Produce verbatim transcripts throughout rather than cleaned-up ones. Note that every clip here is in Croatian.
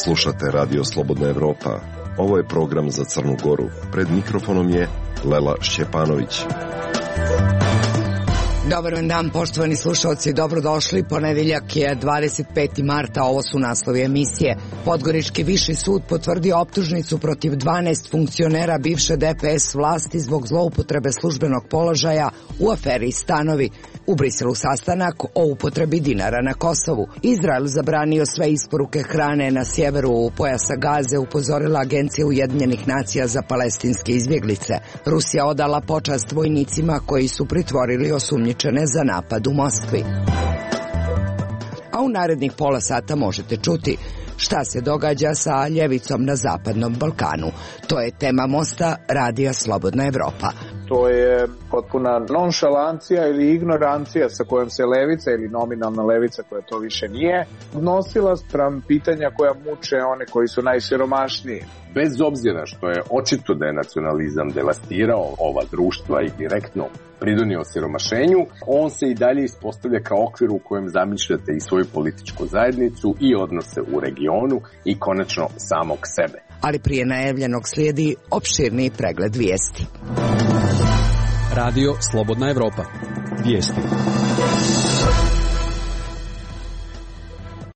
Slušate Radio Slobodna Evropa. Ovo je program za Crnu Goru. Pred mikrofonom je Lela Šćepanović. Dobar vam dan, poštovani slušalci, dobrodošli. Ponedeljak je dvadeset peti marta, ovo su naslovi emisije. Podgorički viši sud potvrdio optužnicu protiv dvanaest funkcionera bivše D P S vlasti zbog zloupotrebe službenog položaja u aferi Stanovi. U Briselu sastanak o upotrebi dinara na Kosovu. Izrael zabranio sve isporuke hrane na sjeveru pojasa Gaze, upozorila Agencija Ujedinjenih nacija za palestinske izbjeglice. Rusija odala počast vojnicima koji su pritvorili osumnjičene za napad u Moskvi. A u narednih pola sata možete čuti šta se događa sa ljevicom na Zapadnom Balkanu. To je tema Mosta Radija Slobodna Evropa. To je potpuna nonšalancija ili ignorancija sa kojom se levica ili nominalna levica, koja to više nije, odnosila spram pitanja koja muče one koji su najsiromašniji. Bez obzira što je očito da je nacionalizam devastirao ova društva i direktno pridonio siromašenju, on se i dalje ispostavlja kao okvir u kojem zamišljate i svoju političku zajednicu i odnose u regionu i konačno samog sebe. Ali prije najavljenog slijedi opširniji pregled vijesti. Radio Slobodna Evropa. Vijesti.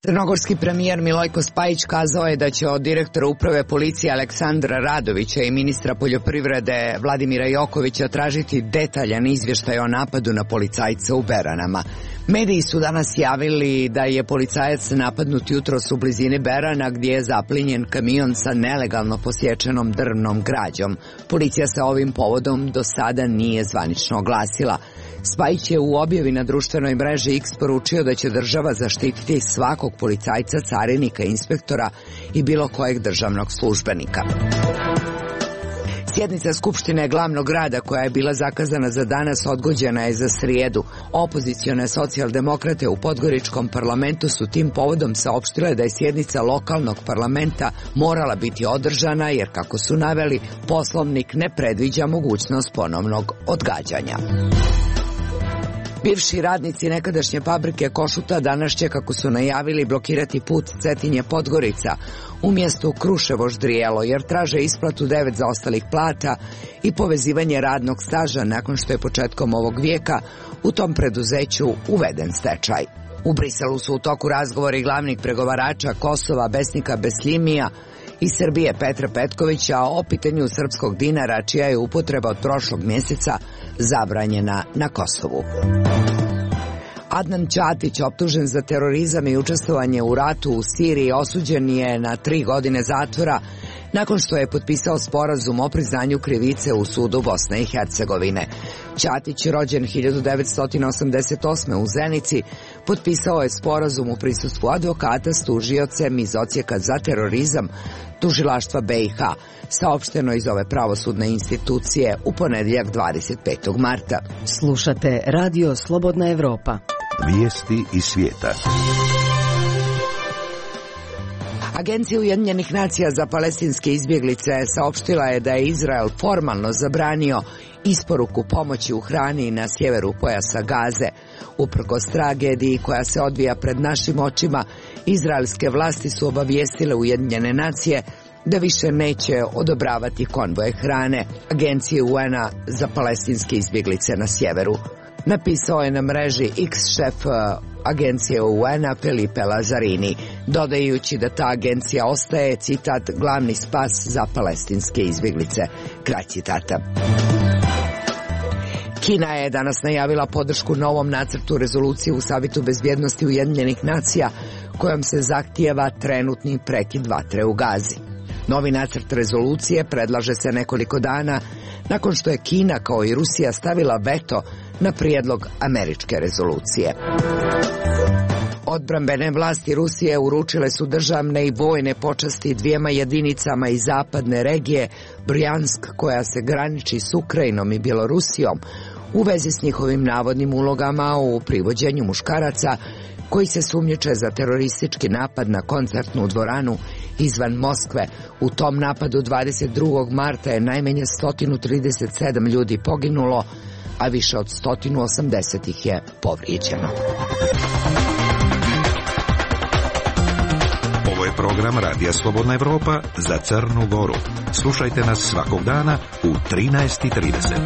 Crnogorski premijer Milojko Spajić kazao je da će od direktora uprave policije Aleksandra Radovića i ministra poljoprivrede Vladimira Jokovića tražiti detaljan izvještaj o napadu na policajca u Beranama. Mediji su danas javili da je policajac napadnut jutros u blizini Berana, gdje je zaplinjen kamion sa nelegalno posječenom drvnom građom. Policija se ovim povodom do sada nije zvanično oglasila. Spajić je u objavi na društvenoj mreži X poručio da će država zaštititi svakog policajca, carinika, inspektora i bilo kojeg državnog službenika. Sjednica Skupštine glavnog grada, koja je bila zakazana za danas, odgođena je za srijedu. Opozicione socijaldemokrate u Podgoričkom parlamentu su tim povodom saopštile da je sjednica lokalnog parlamenta morala biti održana, jer, kako su naveli, poslovnik ne predviđa mogućnost ponovnog odgađanja. Bivši radnici nekadašnje fabrike Košuta danas će, kako su najavili, blokirati put Cetinje-Podgorica u mjestu Kruševo-Ždrijelo, jer traže isplatu devet zaostalih plata i povezivanje radnog staža nakon što je početkom ovog vijeka u tom preduzeću uveden stečaj. U Briselu su u toku razgovori glavnih pregovarača Kosova Besnika Besljimija i Srbije Petra Petkovića o pitanju srpskog dinara, čija je upotreba od prošlog mjeseca zabranjena na Kosovu. Adnan Ćatić, optužen za terorizam i učestvovanje u ratu u Siriji, osuđen je na tri godine zatvora nakon što je potpisao sporazum o priznanju krivice u sudu Bosne i Hercegovine. Ćatić, rođen hiljadu devetsto osamdeset osme u Zenici, potpisao je sporazum u prisustvu advokata s tužiocem iz Odsjeka za terorizam Tužilaštva B i H, saopšteno iz ove pravosudne institucije u ponedjeljak dvadeset petog marta. Slušate Radio Slobodna Evropa. Vijesti iz svijeta. Agencija Ujedinjenih nacija za palestinske izbjeglice saopštila je da je Izrael formalno zabranio isporuku pomoći u hrani na sjeveru pojasa Gaze. Uprkos tragediji koja se odvija pred našim očima, izraelske vlasti su obavijestile Ujedinjene nacije da više neće odobravati konvoje hrane Agencije U N-a za palestinske izbjeglice na sjeveru. Napisao je na mreži X šef Agencije U N-a Felipe Lazzarini, dodajući da ta agencija ostaje, citat, glavni spas za palestinske izbjeglice. Kraj citata. Kina je danas najavila podršku novom nacrtu rezolucije u Savjetu bezbjednosti Ujedinjenih nacija, kojom se zahtijeva trenutni prekid vatre u Gazi. Novi nacrt rezolucije predlaže se nekoliko dana nakon što je Kina, kao i Rusija, stavila veto na prijedlog američke rezolucije. Odbrambene vlasti Rusije uručile su državne i vojne počasti dvijema jedinicama iz zapadne regije Brjansk, koja se graniči s Ukrajinom i Bjelorusijom, u vezi s njihovim navodnim ulogama u privođenju muškaraca koji se sumnjiče za teroristički napad na koncertnu dvoranu izvan Moskve. U tom napadu dvadeset drugog marta je najmanje sto trideset sedam ljudi poginulo, a više od sto osamdeset ih je povrijeđeno. Ovo je program Radija Slobodna Evropa za Crnu Goru. Slušajte nas svakog dana u trinaest i trideset.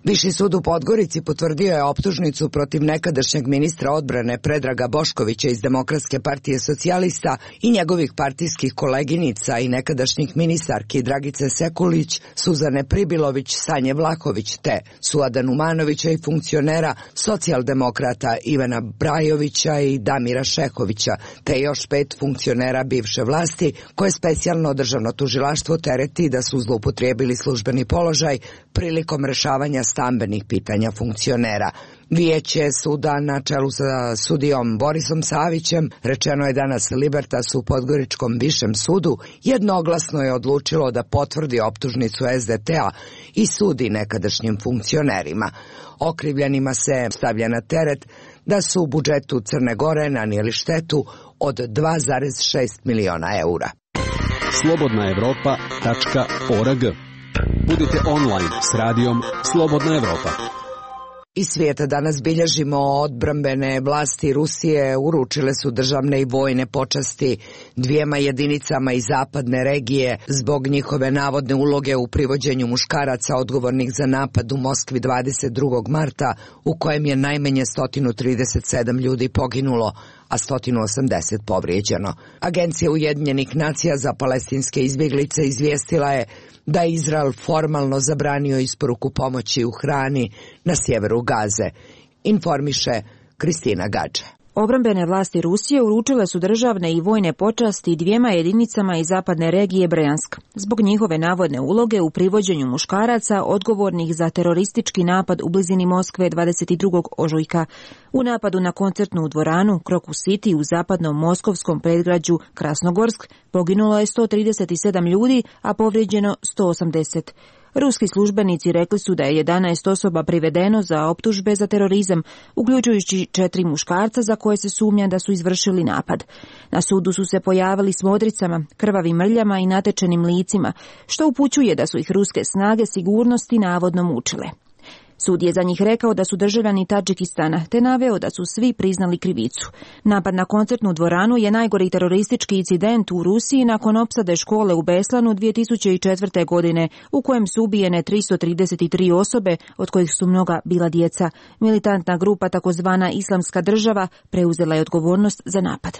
Viši sud u Podgorici potvrdio je optužnicu protiv nekadašnjeg ministra odbrane Predraga Boškovića iz Demokratske partije socijalista i njegovih partijskih koleginica i nekadašnjih ministarki Dragice Sekulić, Suzane Pribilović, Sanje Vlahović te Suada Numanovića i funkcionera socijaldemokrata Ivana Brajovića i Damira Šehovića, te još pet funkcionera bivše vlasti koje specijalno državno tužilaštvo tereti da su zloupotrijebili službeni položaj prilikom rešavanja stambenih pitanja funkcionera. Vijeće suda na čelu sa sudijom Borisom Savićem, rečeno je danas Libertas u Podgoričkom višem sudu, jednoglasno je odlučilo da potvrdi optužnicu S D T-a i sudi nekadašnjim funkcionerima. Okrivljenima se stavlja na teret da su u budžetu Crne Gore nanijeli štetu od dva zarez šest miliona eura. slobodna evropa tačka org. Budite online s radijom Slobodna Evropa. Iz svijeta danas bilježimo odbrambene vlasti Rusije uručile su državne i vojne počasti dvijema jedinicama iz zapadne regije zbog njihove navodne uloge u privođenju muškaraca odgovornih za napad u Moskvi dvadeset drugog marta u kojem je najmanje sto trideset sedam ljudi poginulo, a sto osamdeset povrijeđeno. Agencija Ujedinjenih nacija za palestinske izbjeglice izvijestila je da je Izrael formalno zabranio isporuku pomoći u hrani na sjeveru Gaze, informiše Kristina Gađe. Obrambene vlasti Rusije uručile su državne i vojne počasti dvijema jedinicama iz zapadne regije Brjansk zbog njihove navodne uloge u privođenju muškaraca odgovornih za teroristički napad u blizini Moskve dvadeset drugog ožujka. U napadu na koncertnu dvoranu Krokus City u zapadnom moskovskom predgrađu Krasnogorsk poginulo je sto trideset sedam ljudi, a povrijeđeno sto osamdeset. Ruski službenici rekli su da je jedanaest osoba privedeno za optužbe za terorizam, uključujući četiri muškarca za koje se sumnja da su izvršili napad. Na sudu su se pojavili s modricama, krvavim mrljama i natečenim licima, što upućuje da su ih ruske snage sigurnosti navodno mučile. Sud je za njih rekao da su državljani Tadžikistana, te naveo da su svi priznali krivicu. Napad na koncertnu dvoranu je najgori teroristički incident u Rusiji nakon opsade škole u Beslanu dvije tisuće četvrte. godine, u kojem su ubijene tristo trideset tri osobe, od kojih su mnoga bila djeca. Militantna grupa takozvana Islamska država preuzela je odgovornost za napad.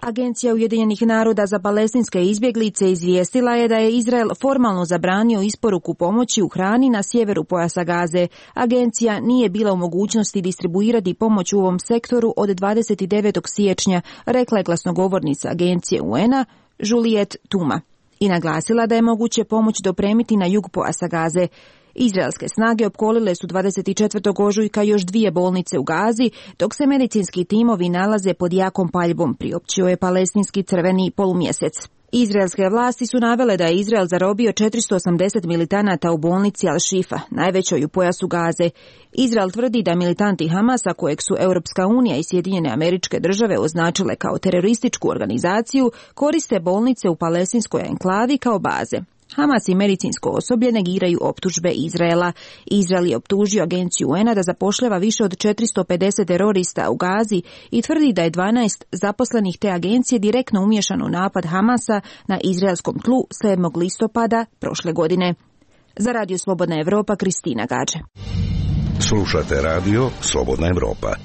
Agencija Ujedinjenih naroda za palestinske izbjeglice izvijestila je da je Izrael formalno zabranio isporuku pomoći u hrani na sjeveru pojasa Gaze. Agencija nije bila u mogućnosti distribuirati pomoć u ovom sektoru od dvadeset devetog siječnja, rekla je glasnogovornica agencije U N-a Juliet Tuma i naglasila da je moguće pomoć dopremiti na jug pojasa Gaze. Izraelske snage opkolile su dvadeset četvrtog ožujka još dvije bolnice u Gazi, dok se medicinski timovi nalaze pod jakom paljbom, priopćio je palestinski crveni polumjesec. Izraelske vlasti su navele da je Izrael zarobio četiristo osamdeset militanata u bolnici Al-Shifa, najvećoj u pojasu Gaze. Izrael tvrdi da militanti Hamasa, kojeg su Europska unija i Sjedinjene Američke Države označile kao terorističku organizaciju, koriste bolnice u palestinskoj enklavi kao baze. Hamas i medicinsko osoblje negiraju optužbe Izraela. Izrael je optužio agenciju U N-a da zapošljava više od četiristo pedeset terorista u Gazi i tvrdi da je dvanaest zaposlenih te agencije direktno umiješano u napad Hamasa na izraelskom tlu sedmog listopada prošle godine. Za Radio Slobodna Evropa, Kristina Gađe. Slušate Radio Slobodna Evropa.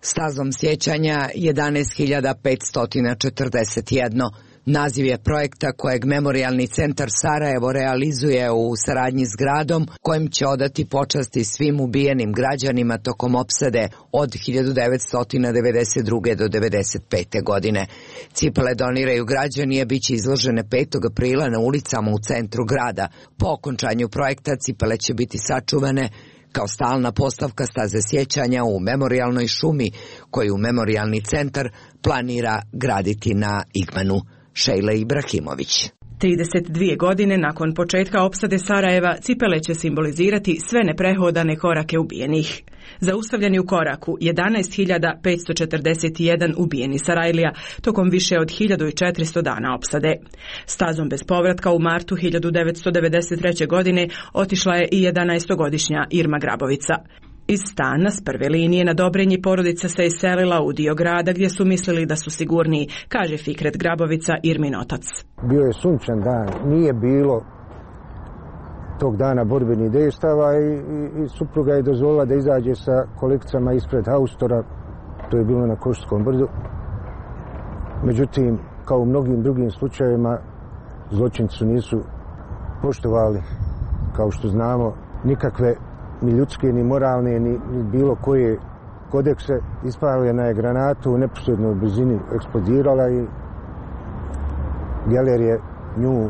Stazom sjećanja jedanaest hiljada petsto četrdeset jedan. Naziv je projekta kojeg Memorijalni centar Sarajevo realizuje u saradnji s gradom, kojim će odati počasti svim ubijenim građanima tokom opsade od hiljadu devetsto devedeset druge. do devedeset pete. godine. Cipele doniraju građani, a bit će izložene petog aprila na ulicama u centru grada. Po okončanju projekta cipele će biti sačuvane kao stalna postavka staze sjećanja u memorijalnoj šumi koju Memorijalni centar planira graditi na Igmanu. Šejla Ibrahimović. trideset dvije godine nakon početka opsade Sarajeva, cipele će simbolizirati sve neprehodane korake ubijenih. Zaustavljeni u koraku jedanaest hiljada petsto četrdeset jedan ubijeni Sarajlija tokom više od hiljadu četiristo dana opsade. Stazom bez povratka u martu hiljadu devetsto devedeset treće. godine otišla je i jedanaestogodišnja Irma Grabovica. Iz stana s prve linije na Dobrinji porodica se iselila u dio grada gdje su mislili da su sigurniji, kaže Fikret Grabovica, Irmin otac. Bio je sunčan dan, nije bilo tog dana borbenih dejstava i, i, i supruga je dozvolila da izađe sa kolekcijama ispred haustora, to je bilo na Košarskom brdu. Međutim, kao u mnogim drugim slučajevima, zločinci nisu poštovali, kao što znamo, nikakve ni ljudske, ni moralne, ni, ni bilo koje kodekse. Ispaljena je granatu u neposrednoj blizini, eksplodirala i geler je nju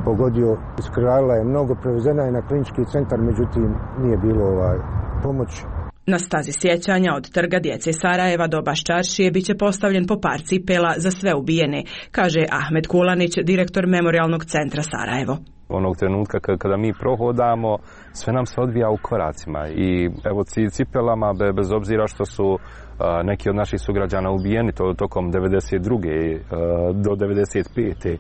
pogodio, iskrvarila je mnogo, prevezena je na klinički centar, međutim nije bilo ovaj pomoći. Na stazi sjećanja od Trga djece Sarajeva do Baščaršije bit će postavljen po par cipela za sve ubijene, kaže Ahmed Kulanić, direktor Memorijalnog centra Sarajevo. Onog trenutka kada mi prohodamo, sve nam se odvija u koracima i evo cipelama, bez obzira što su neki od naših sugrađana ubijeni to tokom devedeset druge do devedeset pete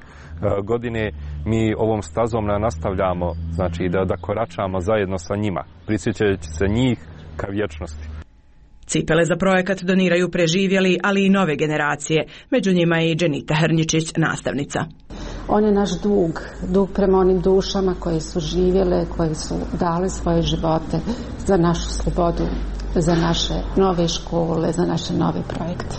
godine, mi ovom stazom nastavljamo, znači da, da koračamo zajedno sa njima, prisjećajući se njih ka vječnosti. Cipele za projekat doniraju preživjeli, ali i nove generacije, među njima i Dženita Hrnjičić, nastavnica. On je naš dug, dug prema onim dušama koje su živjele, koje su dale svoje živote za našu slobodu, za naše nove škole, za naše nove projekte.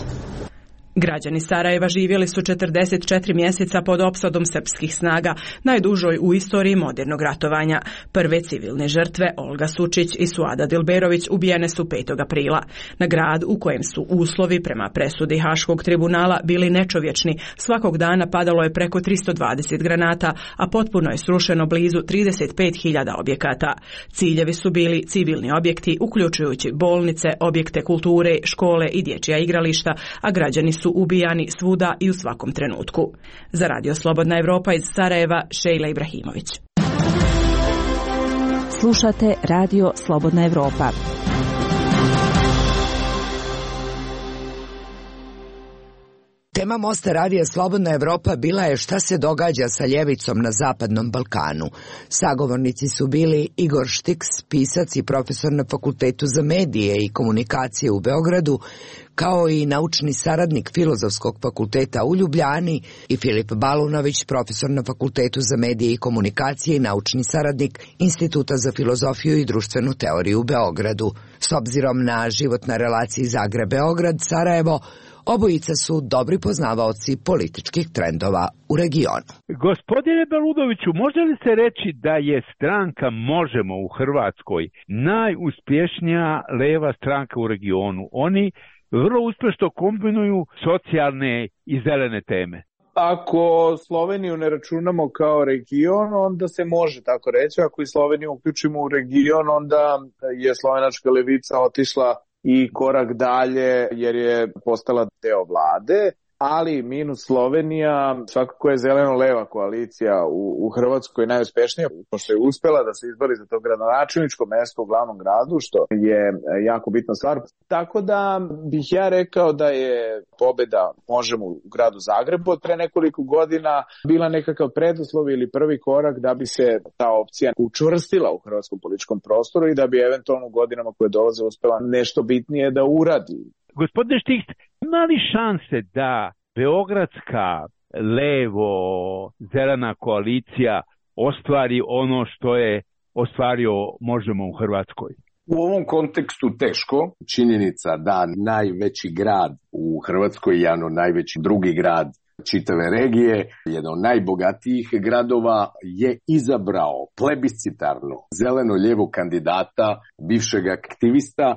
Građani Sarajeva živjeli su četrdeset četiri mjeseca pod opsadom srpskih snaga, najdužoj u istoriji modernog ratovanja. Prve civilne žrtve, Olga Sučić i Suada Dilberović, ubijene su petog aprila. Na grad u kojem su uslovi prema presudi Haškog tribunala bili nečovječni, svakog dana padalo je preko tristo dvadeset granata, a potpuno je srušeno blizu trideset pet hiljada objekata. Ciljevi su bili civilni objekti, uključujući bolnice, objekte kulture, škole i dječja igrališta, a građani su ubijani svuda i u svakom trenutku. Za Radio Slobodna Evropa iz Sarajeva, Šejla Ibrahimović. Slušate Radio Slobodna Evropa. Tema Mosta radija Slobodna Evropa bila je šta se događa sa ljevicom na Zapadnom Balkanu. Sagovornici su bili Igor Štiks, pisac i profesor na Fakultetu za medije i komunikacije u Beogradu, kao i naučni saradnik Filozofskog fakulteta u Ljubljani, i Filip Balunović, profesor na Fakultetu za medije i komunikacije i naučni saradnik Instituta za filozofiju i društvenu teoriju u Beogradu. S obzirom na život na relaciji Zagreb-Beograd, Sarajevo, obojica su dobri poznavaoci političkih trendova u regionu. Gospodine Balunoviću, može li se reći da je stranka Možemo u Hrvatskoj najuspješnija leva stranka u regionu? Oni vrlo uspješno kombinuju socijalne i zelene teme. Ako Sloveniju ne računamo kao region, onda se može tako reći. Ako i Sloveniju uključimo u region, onda je slovenačka levica otišla i korak dalje jer je postala deo vlade. Ali minus Slovenija, svakako je zeleno-leva koalicija u, u Hrvatskoj najuspješnija, pošto je uspjela da se izbori za to gradonačelničko mjesto u glavnom gradu, što je jako bitna stvar. Tako da bih ja rekao da je pobjeda Možemo u gradu Zagrebu od pre nekoliko godina bila nekakav preduslov ili prvi korak da bi se ta opcija učvrstila u hrvatskom političkom prostoru i da bi eventualno u godinama koje dolaze uspjela nešto bitnije da uradi. Gospodine Štiks, ima li šanse da beogradska levo-zelena koalicija ostvari ono što je ostvario Možemo u Hrvatskoj? U ovom kontekstu teško. Činjenica da najveći grad u Hrvatskoj, jedan od najvećih drugi grad čitave regije, jedan od najbogatijih gradova, je izabrao plebiscitarno zeleno-lijevo kandidata, bivšeg aktivista,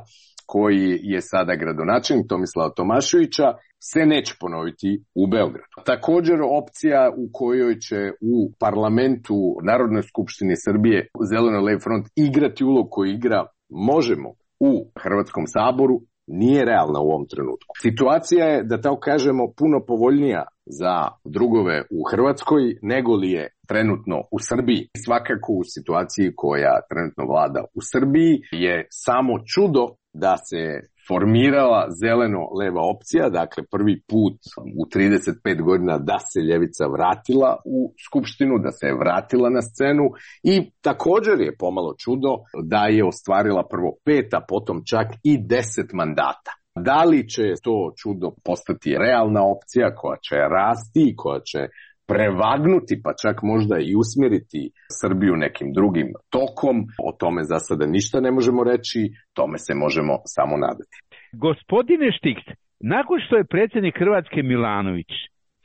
koji je sada gradonačelnik, Tomislava Tomaševića, se neće ponoviti u Beogradu. Također opcija u kojoj će u parlamentu Narodnoj skupštini Srbije Zeleno-levi front igrati ulog koji igra Možemo u Hrvatskom saboru nije realna u ovom trenutku. Situacija je, da tako kažemo, puno povoljnija za drugove u Hrvatskoj nego li je trenutno u Srbiji. Svakako u situaciji koja trenutno vlada u Srbiji je samo čudo da se formirala zeleno-leva opcija, dakle prvi put u trideset pet godina da se ljevica vratila u Skupštinu, da se je vratila na scenu i također je pomalo čudo da je ostvarila prvo pet, a potom čak i deset mandata. Da li će to čudo postati realna opcija koja će rasti, koja će prevagnuti, pa čak možda i usmjeriti Srbiju nekim drugim tokom, o tome za sada ništa ne možemo reći, tome se možemo samo nadati. Gospodine Štiks, nakon što je predsjednik Hrvatske Milanović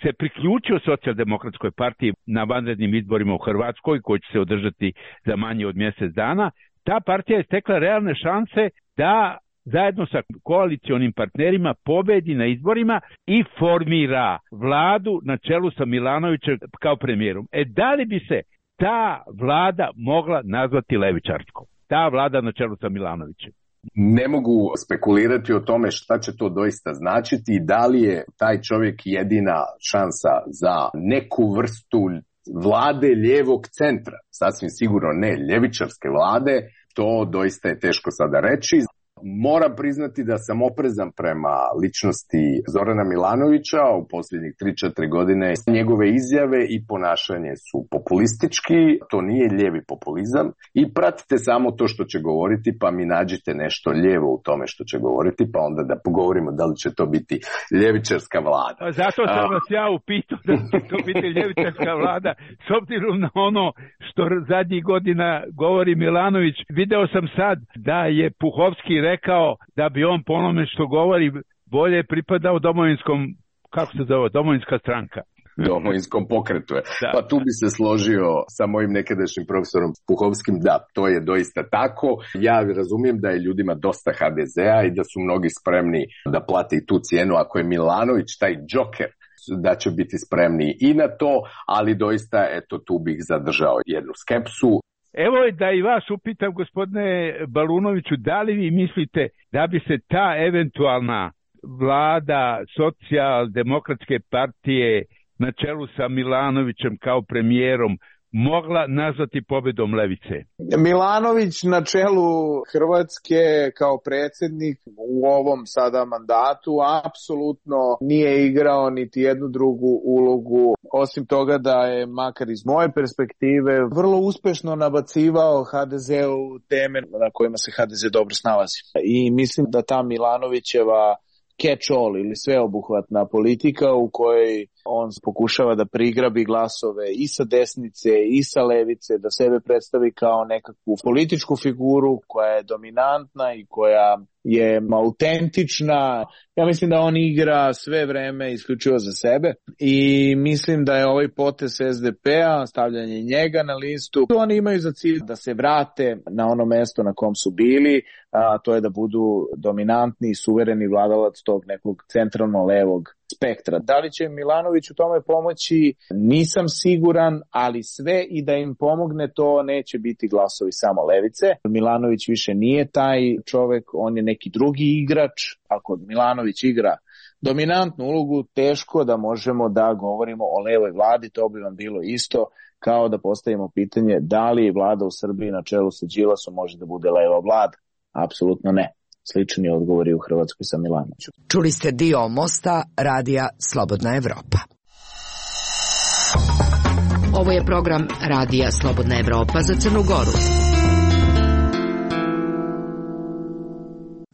se priključio Socijaldemokratskoj partiji na vanrednim izborima u Hrvatskoj, koji će se održati za manje od mjesec dana, ta partija je stekla realne šanse da zajedno sa koalicionim partnerima pobedi na izborima i formira vladu na čelu sa Milanovićem kao premijerom. E da li bi se ta vlada mogla nazvati levičarskom? Ta vlada na čelu sa Milanovićem. Ne mogu spekulirati o tome šta će to doista značiti i da li je taj čovjek jedina šansa za neku vrstu vlade lijevog centra. Sasvim sigurno ne ljevičarske vlade, to doista je teško sada reći. Moram priznati da sam oprezan prema ličnosti Zorana Milanovića u posljednjih tri četiri godine. Njegove izjave i ponašanje su populistički, to nije lijevi populizam i pratite samo to što će govoriti pa mi nađite nešto lijevo u tome što će govoriti pa onda da pogovorimo da li će to biti ljevičarska vlada. Zato sam vas ja upitao da će to biti ljevičarska vlada s obzirom na ono što zadnjih godina govori Milanović. Video sam sad da je Puhovski rekao da bi on po onome što govori bolje pripadao domovinskom, kako se zove, domovinska stranka. Domovinskom pokretu je. Pa tu bi se složio sa mojim nekadašnjim profesorom Puhovskim, da, to je doista tako. Ja razumijem da je ljudima dosta ha de zea i da su mnogi spremni da plate i tu cijenu ako je Milanović taj džoker, da će biti spremni i na to, ali doista, eto, tu bih zadržao jednu skepsu. Evo da i vas upitam, gospodine Balunoviću, da li vi mislite da bi se ta eventualna vlada Socijaldemokratske partije na čelu sa Milanovićem kao premijerom mogla nazvati pobjedom levice? Milanović na čelu Hrvatske kao predsjednik u ovom sada mandatu apsolutno nije igrao niti jednu drugu ulogu, osim toga da je, makar iz moje perspektive, vrlo uspješno nabacivao ha de zeu teme na kojima se ha de ze dobro snalazi. I mislim da ta Milanovićeva catch-all ili sveobuhvatna politika u kojoj on pokušava da prigrabi glasove i sa desnice i sa levice, da sebe predstavi kao nekakvu političku figuru koja je dominantna i koja je autentična. Ja mislim da on igra sve vreme isključivo za sebe i mislim da je ovaj potez es de pe-a, stavljanje njega na listu, oni imaju za cilj da se vrate na ono mesto na kom su bili, a to je da budu dominantni i suvereni vladalac tog nekog centralno-levog spektra. Da li će Milanović u tome pomoći? Nisam siguran, ali sve i da im pomogne to neće biti glasovi samo levice. Milanović više nije taj čovek, on je neki drugi igrač. Ako Milanović igra dominantnu ulogu, teško da možemo da govorimo o levoj vladi, to bi vam bilo isto kao da postavimo pitanje da li vlada u Srbiji na čelu sa Đilasom može da bude leva vlada. Apsolutno ne. Slični odgovori u Hrvatskoj sa Milanovićem. Čuli ste dio Mosta, radija Slobodna Evropa. Ovo je program radija Slobodna Evropa za Crnu Goru.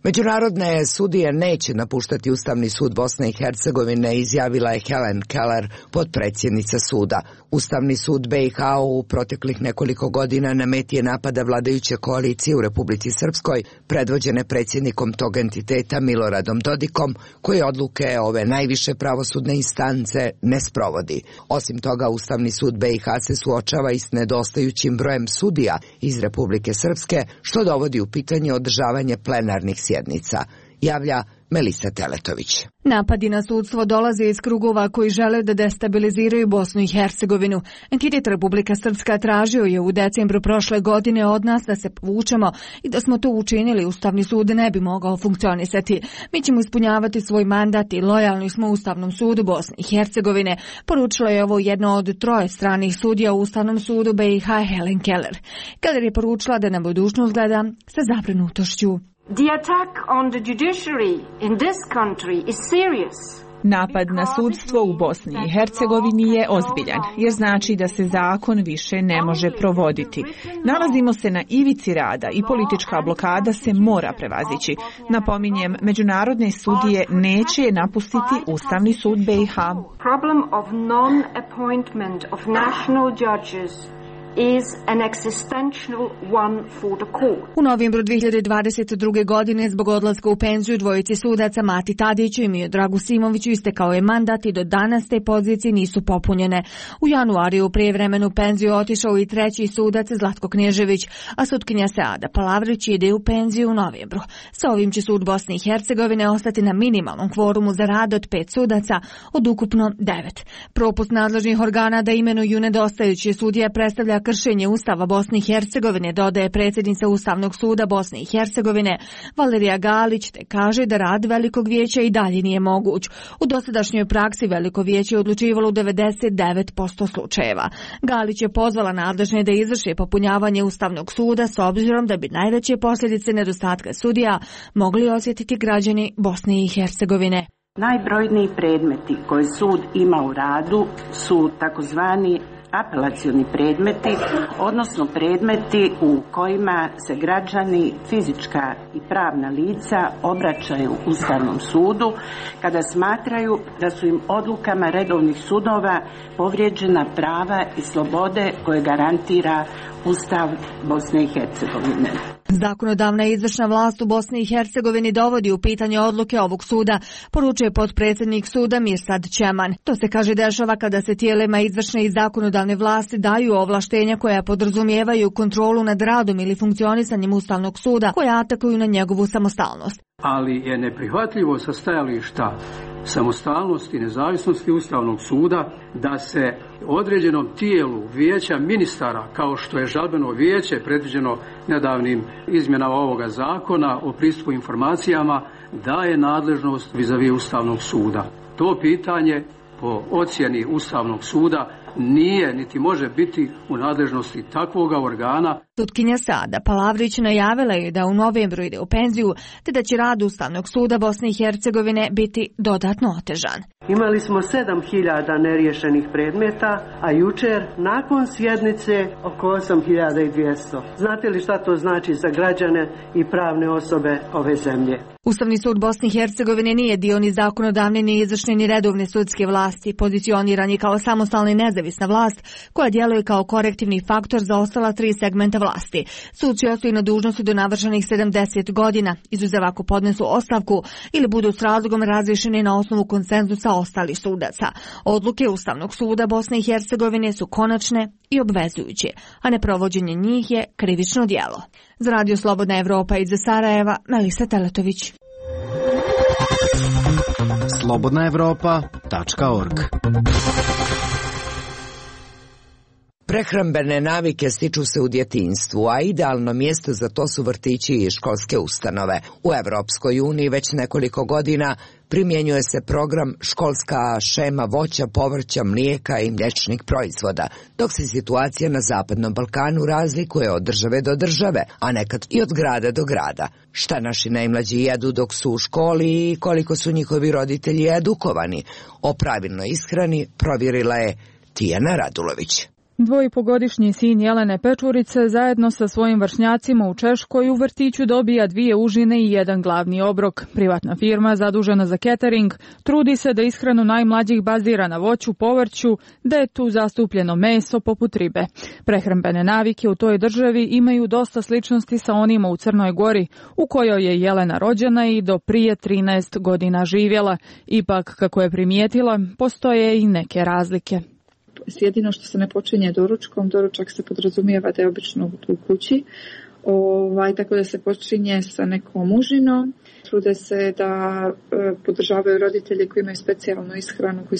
Međunarodne sudije neće napuštati Ustavni sud Bosne i Hercegovine, izjavila je Helen Keller, potpredsjednica suda. Ustavni sud be i ha u proteklih nekoliko godina na meti je napada vladajuće koalicije u Republici Srpskoj, predvođene predsjednikom tog entiteta Miloradom Dodikom, koji odluke ove najviše pravosudne instance ne sprovodi. Osim toga, Ustavni sud be i ha se suočava i s nedostajućim brojem sudija iz Republike Srpske, što dovodi u pitanje održavanje plenarnih sjednica, javlja Melisa Teletović. Napadi na sudstvo dolaze iz krugova koji žele da destabiliziraju Bosnu i Hercegovinu. Entitet Republika Srpska tražio je u decembru prošle godine od nas da se povučemo i da smo to učinili, Ustavni sud ne bi mogao funkcionisati. Mi ćemo ispunjavati svoj mandat i lojalni smo Ustavnom sudu Bosne i Hercegovine, poručila je ovo jedna od troje stranih sudija u Ustavnom sudu B i H Helen Keller. Keller je poručila da na budućnost gleda sa zabrinutošću. The attack on the judiciary in this country is serious. Napad na sudstvo u Bosni i Hercegovini je ozbiljan, jer znači da se zakon više ne može provoditi. Nalazimo se na ivici rada i politička blokada se mora prevazići. Napominjem, međunarodne sudije neće napustiti Ustavni sud B i H. Problem of non-appointment of national judges is an existential one for the court. U novembru dvije hiljade dvadeset druge. godine zbog odlaska u penziju dvojici sudaca Mati Tadiću i Miodragu Simoviću istekao je mandat i do danas te pozicije nisu popunjene. U januariju u prijevremenu penziju otišao i treći sudac Zlatko Knježević, a sutkinja Seada Palavrić ide u penziju u novembru. Sa ovim će sud Bosne i Hercegovine ostati na minimalnom kvorumu za rad od pet sudaca od ukupno devet. Propust nadležnih organa da imenuju nedostajući sudija predstavlja kršenje Ustava Bosne i Hercegovine, dodaje predsjednica Ustavnog suda Bosne i Hercegovine Valerija Galić, te kaže da rad Velikog vijeća i dalje nije moguć. U dosadašnjoj praksi Veliko vijeće je odlučivalo u devedeset devet posto slučajeva. Galić je pozvala nadležne da izvrše popunjavanje Ustavnog suda s obzirom da bi najveće posljedice nedostatka sudija mogli osjetiti građani Bosne i Hercegovine. Najbrojniji predmeti koje sud ima u radu su takozvani apelacioni predmeti, odnosno predmeti u kojima se građani, fizička i pravna lica obraćaju Ustavnom sudu kada smatraju da su im odlukama redovnih sudova povrijeđena prava i slobode koje garantira Ustav Bosne i Hercegovine. Zakonodavna i izvršna vlast u Bosni i Hercegovini dovodi u pitanje odluke ovog suda, poručuje potpredsjednik suda Mirsad Čeman. To se, kaže, dešava kada se tijelima izvršne i zakonodavne vlasti daju ovlaštenja koja podrazumijevaju kontrolu nad radom ili funkcionisanjem Ustavnog suda, koja atakuju na njegovu samostalnost. Ali je neprihvatljivo sa stajališta samostalnosti i nezavisnosti Ustavnog suda da se određenom tijelu vijeća ministara, kao što je žalbeno vijeće predviđeno nedavnim izmjenama ovoga zakona o pristupu informacijama, daje nadležnost vis-a-vis Ustavnog suda. To pitanje po ocjeni Ustavnog suda nije niti može biti u nadležnosti takvoga organa. Sutkinja Seada Palavrić najavila je da u novembru ide u penziju, te da će rad Ustavnog suda Bosne i Hercegovine biti dodatno otežan. Imali smo sedam hiljada neriješenih predmeta, a jučer nakon sjednice oko osam hiljada dvjesto. Znate li šta to znači za građane i pravne osobe ove zemlje? Ustavni sud Bosne i Hercegovine nije dio ni zakonodavne, ni izvršne, ni redovne sudske vlasti. Pozicioniran je kao samostalna i nezavisna vlast koja djeluje kao korektivni faktor za ostala tri segmenta vlasti. Suci ostaju na dužnosti do navršenih sedamdeset godina, izuzev ako podnesu ostavku ili budu s razlogom razrješeni na osnovu konsenzusa ostalih sudaca. Odluke Ustavnog suda Bosne i Hercegovine su konačne i obvezujuće, a neprovođenje njih je krivično djelo. Za Radio Slobodna Evropa iz Sarajeva, Melisa Teletović. slobodna evropa tačka org. Prehrambene navike stiču se u djetinjstvu, a idealno mjesto za to su vrtići i školske ustanove. U Evropskoj uniji već nekoliko godina primjenjuje se program školska šema voća, povrća, mlijeka i mliječnih proizvoda, dok se situacija na Zapadnom Balkanu razlikuje od države do države, a nekad i od grada do grada. Šta naši najmlađi jedu dok su u školi i koliko su njihovi roditelji edukovani o pravilnoj ishrani provjerila je Tijana Radulović. Dvojipogodišnji sin Jelene Pečurice zajedno sa svojim vršnjacima u Češkoj u vrtiću dobija dvije užine i jedan glavni obrok. Privatna firma zadužena za catering trudi se da ishranu najmlađih bazira na voću, povrću, da je tu zastupljeno meso poput ribe. Prehrambene navike u toj državi imaju dosta sličnosti sa onima u Crnoj Gori, u kojoj je Jelena rođena i do prije trinaest godina živjela. Ipak, kako je primijetila, postoje i neke razlike. Jedino što se ne počinje doručkom, doručak se podrazumijeva da je obično u kući, Ovaj, tako da se počinje sa nekom užinom. Trude se da e, podržavaju roditelje koji imaju specijalnu ishranu, koji,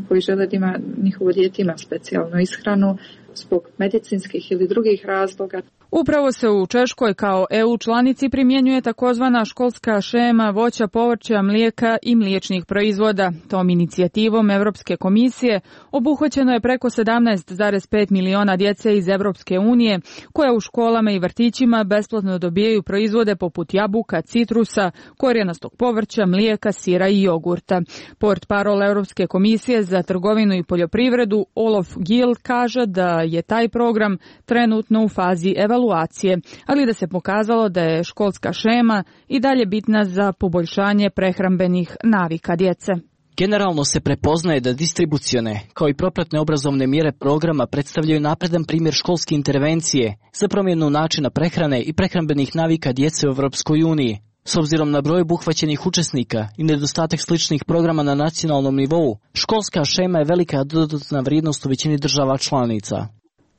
koji žele da ima, njihovo dijete ima specijalnu ishranu zbog medicinskih ili drugih razloga. Upravo se u Češkoj kao E U članici primjenjuje takozvana školska šema voća, povrća, mlijeka i mliječnih proizvoda. Tom inicijativom Europske komisije obuhvaćeno je preko sedamnaest zarez pet miliona djece iz Europske unije, koja u školama i vrtićima besplatno dobijaju proizvode poput jabuka, citrusa, korijenastog povrća, mlijeka, sira i jogurta. Portparol Europske komisije za trgovinu i poljoprivredu Olof Gil kaže da je taj program trenutno u fazi evaluacije, ali da se pokazalo da je školska šema i dalje bitna za poboljšanje prehrambenih navika djece. Generalno se prepoznaje da distribucione, kao i propratne obrazovne mjere programa predstavljaju napredan primjer školske intervencije za promjenu načina prehrane i prehrambenih navika djece u Europskoj uniji. S obzirom na broj obuhvaćenih učesnika i nedostatak sličnih programa na nacionalnom nivou, školska šema je velika dodatna vrijednost u većini država članica.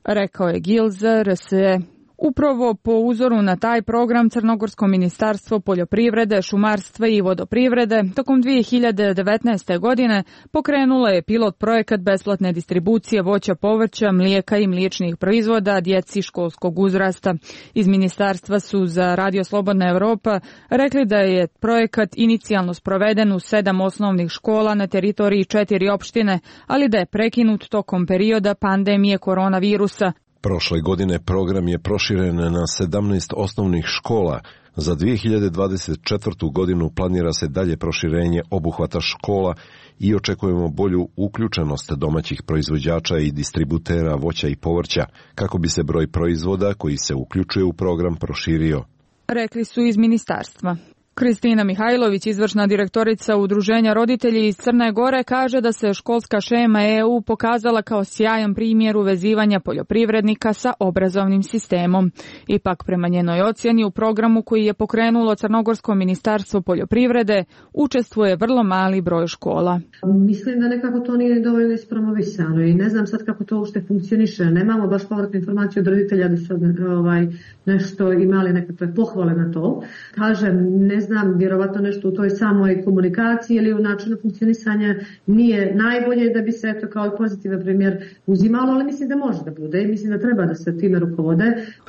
Rekao je Gil za R S E. Upravo po uzoru na taj program Crnogorsko ministarstvo poljoprivrede, šumarstva i vodoprivrede tokom dvije hiljade devetnaeste. godine pokrenulo je pilot projekat besplatne distribucije voća, povrća, mlijeka i mliječnih proizvoda djeci školskog uzrasta. Iz ministarstva su za Radio Slobodna Evropa rekli da je projekat inicijalno sproveden u sedam osnovnih škola na teritoriji četiri opštine, ali da je prekinut tokom perioda pandemije koronavirusa. Prošle godine program je proširen na sedamnaest osnovnih škola. Za dvije hiljade dvadeset četvrtu. godinu planira se dalje proširenje obuhvata škola i očekujemo bolju uključenost domaćih proizvođača i distributera voća i povrća, kako bi se broj proizvoda koji se uključuje u program proširio. Rekli su iz ministarstva. Kristina Mihajlović, izvršna direktorica Udruženja roditelji iz Crne Gore, kaže da se školska šema E U pokazala kao sjajan primjer uvezivanja poljoprivrednika sa obrazovnim sistemom. Ipak, prema njenoj ocjeni, u programu koji je pokrenulo Crnogorsko ministarstvo poljoprivrede učestvuje vrlo mali broj škola. Mislim da nekako to nije dovoljno ispromovisano i ne znam sad kako to uopšte funkcioniše. Nemamo baš povratnu informaciju od roditelja da su ovaj, nešto imali nekakve pohvale na to. Kažem, ne znam, vjerovatno nešto u toj samoj komunikaciji ili u načinu funkcionisanja nije najbolje da bi se eto kao pozitivan primjer uzimalo, ali mislim da može da bude i mislim da treba da se time rukovode.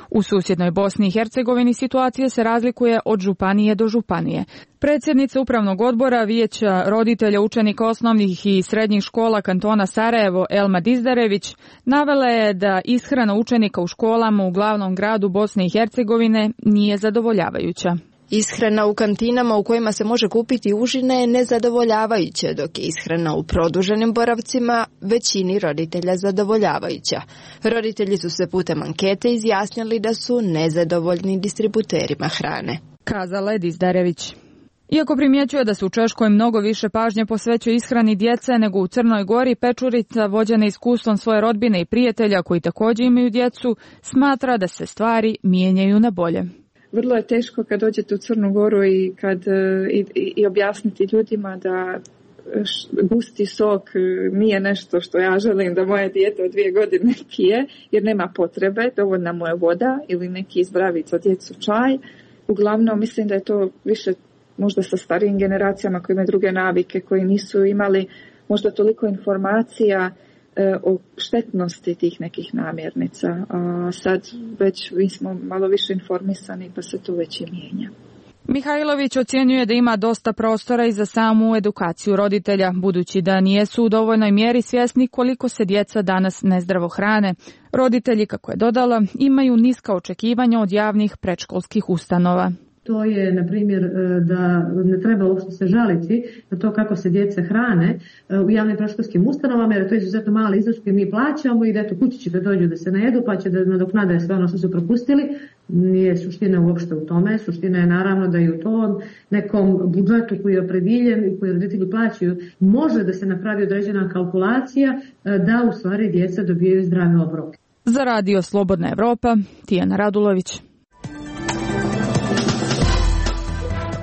U susjednoj Bosni i Hercegovini situacija se razlikuje od županije do županije. Predsjednica Upravnog odbora Vijeća roditelja učenika osnovnih i srednjih škola kantona Sarajevo Elma Dizdarević navela je da ishrana učenika u školama u glavnom gradu Bosne i Hercegovine nije zadovoljavajuća. Ishrana u kantinama u kojima se može kupiti užine je nezadovoljavajuća, dok je ishrana u produženim boravcima većini roditelja zadovoljavajuća. Roditelji su se putem ankete izjasnili da su nezadovoljni distributerima hrane. Kazala je Dizdarević. Iako primjećuje da se u Češkoj mnogo više pažnje posvećuje ishrani djece nego u Crnoj Gori, Pečurica, vođena iskustvom svoje rodbine i prijatelja koji također imaju djecu, smatra da se stvari mijenjaju na bolje. Vrlo je teško kad dođete u Crnu Goru i, kad, i, i objasniti ljudima da gusti sok nije nešto što ja želim da moje dijete od dvije godine pije, jer nema potrebe, dovoljna mu je voda ili neki zdravic za djecu čaj. Uglavnom mislim da je to više možda sa starijim generacijama koji imaju druge navike, koji nisu imali možda toliko informacija e, o štetnosti tih nekih namirnica. A sad već mi smo malo više informisani pa se to već i mijenja. Mihajlović ocjenjuje da ima dosta prostora i za samu edukaciju roditelja, budući da nijesu u dovoljnoj mjeri svjesni koliko se djeca danas nezdravo hrane. Roditelji, kako je dodala, imaju niska očekivanja od javnih predškolskih ustanova. To je, na primjer, da ne treba uopšte se žaliti na to kako se djeca hrane u javnim predškolskim ustanovama, jer to je izuzetno mali iznos koji mi plaćamo i da eto kući će da dođu da se najedu pa će da nadoknade sve ono što su propustili. Nije suština uopšte u tome. Suština je naravno da i u tom nekom budžetu koji je oprediljen i koji roditelji plaćaju može da se napravi određena kalkulacija da u stvari djeca dobijaju zdrave obroke. Za Radio Slobodna Evropa, Tijana Radulović.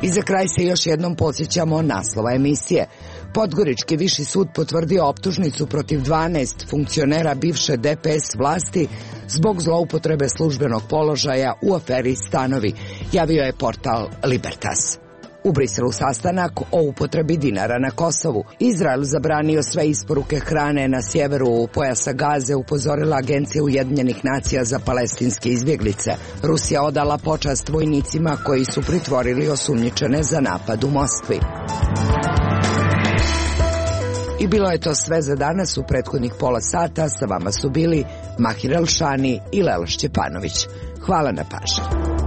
I za kraj se još jednom podsjećamo naslova emisije. Podgorički viši sud potvrdio optužnicu protiv dvanaest funkcionera bivše D P S vlasti zbog zloupotrebe službenog položaja u aferi Stanovi, javio je portal Libertas. U Briselu sastanak o upotrebi dinara na Kosovu. Izrael zabranio sve isporuke hrane na sjeveru pojasa Gaze, upozorila Agencija Ujedinjenih nacija za palestinske izbjeglice. Rusija odala počast vojnicima koji su pritvorili osumnjičene za napad u Moskvi. I bilo je to sve za danas. U prethodnih pola sata sa vama su bili Mahir Elšani i Lela Šćepanović. Hvala na pažnji.